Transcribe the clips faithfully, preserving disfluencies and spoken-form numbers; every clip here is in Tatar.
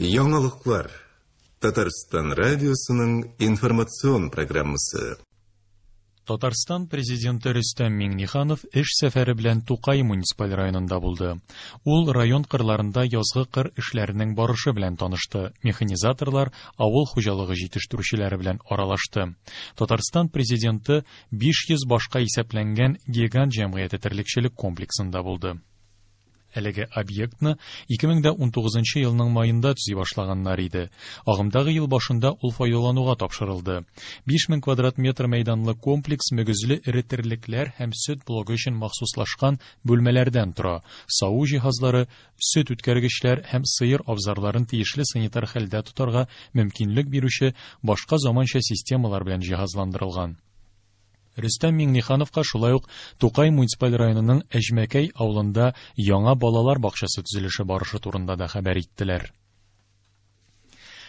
Яңалыклар. Татарстан радиосының информацион программасы. Татарстан президенты Рөстәм Миңнеханов эш сәфәре белән Тукай муниципаль районында булды. Ул район кырларында язгы кыр эшләренең барышы белән танышты, механизаторлар, авыл хуҗалыгы җитештерүчеләре белән аралашты. Татарстан президенты биш йөз башка исәпләнгән Гигант җәмгыяте терлекчелек комплексында булды. Әлеге объектны ике мең дә унтугызынчы елның майында төзи башлаганнар иде. Агымдагы ел башында ул файдалануга тапшырылды. Биш мең квадрат метр мәйданлы комплекс мөгезле эре терлекләр һәм сөт блогы өчен махсуслашкан бүлмәләрдән тора. Саву җиһазлары, сөт үткәргечләр һәм сыер абзарларын тиешле санитар хәлдә тотарга мөмкинлек бирүче башка заманча системалар белән җиһазландырылган. Рөстәм Миңнехановка шулай ук Тукай муниципаль районының Әҗмәкәй авылында яңа балалар бакчасы төзелеше барышы турында да хәбәр иттеләр.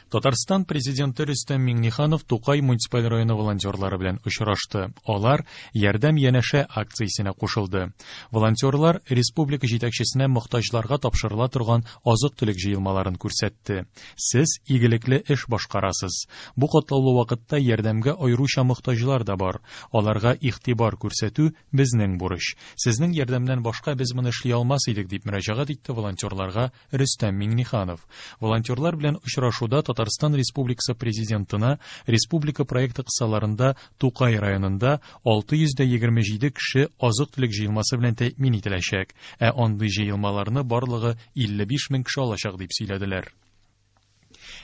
Татарстан президенты Рөстәм Миңнеханов Тукай муниципаль районы волонтерлары белән очрашты. Алар Ярдәм янәшә акциясенә кушылды. Волонтерлар республика җитәкчесенә мохтаҗларга тапшырыла торган азык-төлек җыелмаларын күрсәтте. Сез игелекле эш башкарасыз. Бу катлаулы вакытта ярдәмгә аеруча мохтаҗлар да бар. Аларга игътибар күрсәтү безнең бурыч. Сезнең ярдәмнән башка без моны эшли алмас идек, дип мөрәҗәгать итте волонтерларга Рөстәм Миңнеханов. Волонтерлар белән очрашуда Татарстан Республикасы Президентына республика проекты кысаларында Тукай районында алты йөз дә егерме җиде кеше азык-төлек җыелмасы белән тәэмин ителәчәк, ә андый җыелмаларны барлыгы илле биш мең кеше алачак дип сөйләделәр.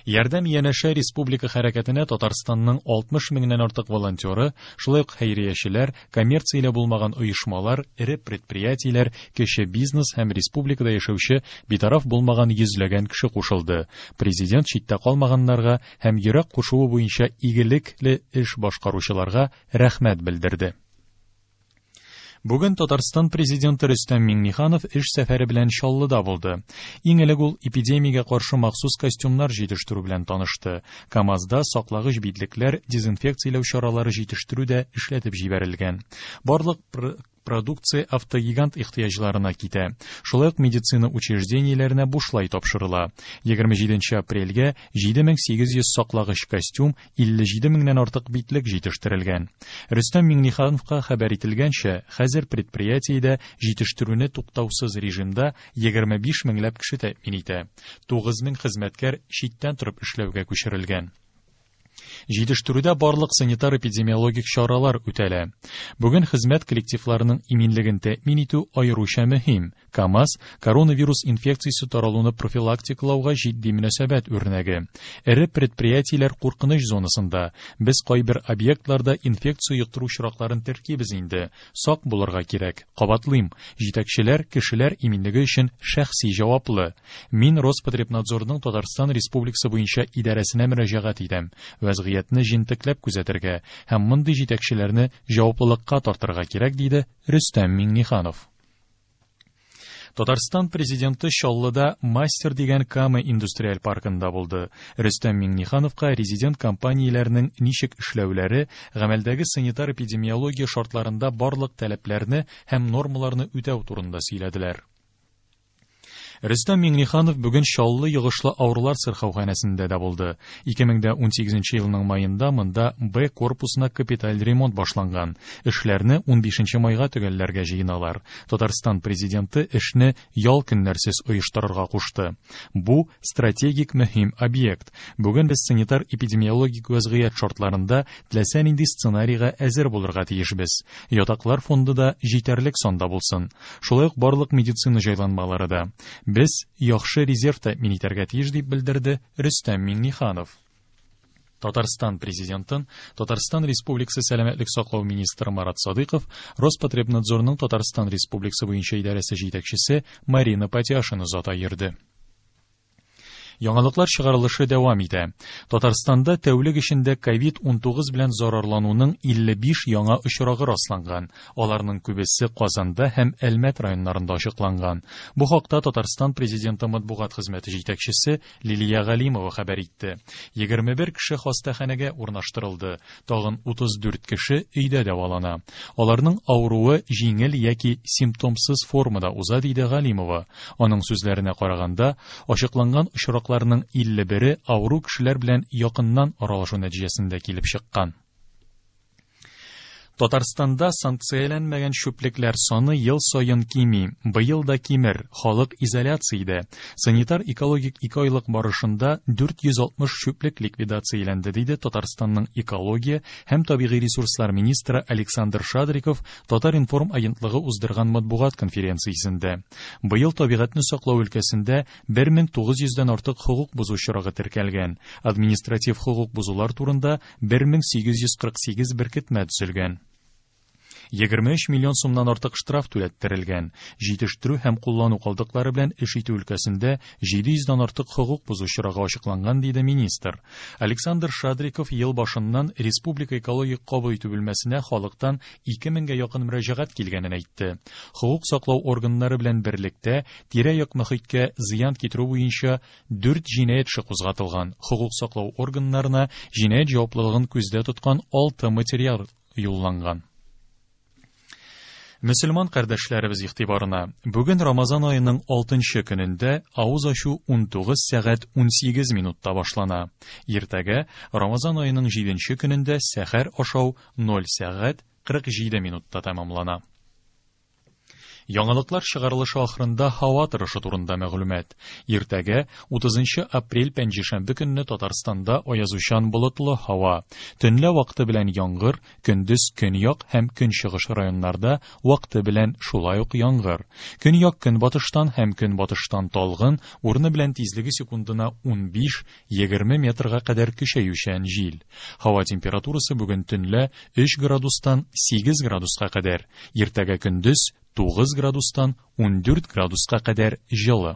Ярдәм янәшә республика хәрәкәтенә Татарстанның алтмыш меңнән артык волонтеры, шулай ук хәйриячеләр, коммерцияле булмаган оешмалар, эре предприятиеләр, кече бизнес һәм республикада яшәүче битараф булмаган йөзләгән кеше кушылды. Президент читтә калмаганнарга һәм йөрәк кушуы буенча игелекле эш башкаручыларга рәхмәт белдерде. Бүген Татарстан президенты Рөстәм Миңнеханов эш сәфәре белән Чаллыда булды. Иң элек ул эпидемиягә каршы махсус костюмнар җитештерү белән танышты. КАМАЗда саклагыч битлекләр, дезинфекцияләү чаралары җитештерү дә эшләтеп җибәрелгән. Барлык пр-, продукция автогигант ихтыяҗларына китә. Шулай ук медицина учреждениеләренә бушлай тапшырыла. Егерме җиденче апрельгә җиде мең сигез йөз саклагыч костюм, илле җиде меңнән артык битлек җитештерелгән. Рөстәм Миңнехановка хәбәр ителгәнчә, хәзер предприятиедә җитештерүне туктаусыз режимда егерме биш меңләп кеше тәэмин итә. Тугыз мең хезмәткәр читтән торып эшләүгә күчерелгән. Җитештерүдә барлык санитар-эпидемиологик чаралар үтәлә. Бүген хезмәт коллективларының иминлеген тәэмин итү аеруча мөһим. КАМАЗ коронавирус инфекциясе таралуны профилактикалауга җитди мөнәсәбәт үрнәге. Эре предприятиеләр куркыныч зонасында. Без кайбер объектларда инфекция йоктыру очракларын теркибез инде. Сак булырга кирәк. Кабатлыйм, җитәкчеләр кешеләр иминлеге өчен шәхси җаваплы. Мин Роспотребнадзорның Татарстан Республикасы буенча идарәсенә мөрәҗәгать итәм. Вәзгыятьне җентекләп күзәтергә һәм мондый җитәкчеләрне җаваплылыкка тартырга кирәк, диде Рөстәм Миңнеханов. Татарстан президенты Чаллыда Мастер дигән Кама индустриаль паркында булды. Рөстәм Миңнехановка резидент компанияләрнең ничек эшләүләре, гамәлдәге санитар-эпидемиология шартларында барлык таләпләрне һәм нормаларны үтәү турында сөйләделәр. Рөстәм Миңнеханов бүген Чаллы йогышлы авырулар сырхауханәсендә дә булды. Ике мең дә унсигезенче елның майында монда Б корпусына капиталь ремонт башланган. Эшләрне унбишенче майга төгәлләргә җыеналар. Татарстан президенты эшне ял көннәрсез оештырырга кушты. Бу стратегик мөһим объект. Бүген без санитар-эпидемиологик вәзгыять шартларында теләсә нинди сценарийга әзер булырга тиешбез. Ятаклар фонды да җитәрлек санда булсын. Шулай ук барлык медицина җайланмалары да. Без яхшы резерв тәэмин итәргә тиеш, дип белдерде Рөстәм Миңнеханов. Татарстан президентын Татарстан Республикасы Сәламәтлек саклау министры Марат Садыйков, Роспотребнадзорның Татарстан Республикасы буенча идарәсе җитәкчесе Марина Патяшина озата йөрде. Яңалыклар чыгарылышы дәвам итә. Татарстанда тәүлек эчендә ковид унтугыз белән зарарлануның илле биш яңа очрагы расланган. Аларның күбесе Казанда һәм Әлмәт районнарында ачыкланган. Бу хакта Татарстан президенты матбугат хезмәте җитәкчесе Лилия Галимова хәбәр итте. Егерме бер кеше хастаханәгә урнаштырылды. Тагын утыз дүрт кеше өйдә дәвалана. Аларның авыруы җиңел яки симптомсыз формада уза, диде Галимова. Аның сүзләренә караганда, ачыкланган очраклар очракларның илле бере авыру кешеләр белән якыннан аралашу нәтиҗәсендә килеп чыккан. Татарстанда санкцияләнмәгән чүплекләр саны ел саен кими. Быел да кимер, халык изоляциядә. Санитар-экологик ике айлык барышында дүрт йөз алтмыш чүплек ликвидацияләнде, диде Татарстанның экология һәм табигый ресурслар министры Александр Шадриков Татар-информ агентлыгы уздырган матбугат конференциясендә. Быел табигатьне саклау өлкәсендә бер мең тугыз йөздән артык хокук бозу очрагы теркәлгән. Административ хокук бозулар турында бер мең сигез йөз кырык сигез беркетмә төзелгән. Егерме өч миллион сумнан артык штраф түләттерелгән. Җитештерү һәм куллану калдыклары белән эш итү өлкәсендә җиде йөздән артык хокук бозу очрагы ачыкланган, диде министр. Александр Шадриков ел башыннан Республика экологик кабул итү бүлмәсенә халыктан ике меңгә якын мөрәҗәгать килгәнен әйтте. Хокук саклау органнары белән берлектә тирә-як мөхиткә зыян китерү буенча дүрт җинаять эше кузгатылган. Хокук саклау органнарына җинаять җаваплылыгын күздә тоткан алты материал юлланган. Мөселман кардәшләребез игътибарына, бүген Рамазан аеның алтынчы көнендә авыз ачу унтугыз сәгать унсигез минутта башлана. Иртәгә Рамазан аеның җиденче көнендә сәхәр ашау ноль сәгать кырык җиде минутта тәмамлана. Яңалыклар чыгарылышы ахырында һава торышы турында мәгълүмат. Иртәгә утызынчы апрель пәнҗешәмбе көнне Татарстанда аязучан болытлы һава. Төнлә вакыты белән яңгыр, көндез көньяк һәм көнчыгыш районнарда вакыты белән шулай ук яңгыр. Көньяк көнбатыштан һәм көнбатыштан талгын, урыны белән тизлеге секундына унбиш-егерме метрга кадәр көчәючән җил. Һава температурасы бүген төнлә өч градустан сигез градуска кадәр. Иртәгә көндез тугыз градустан ундүрт градуска кадәр җылы.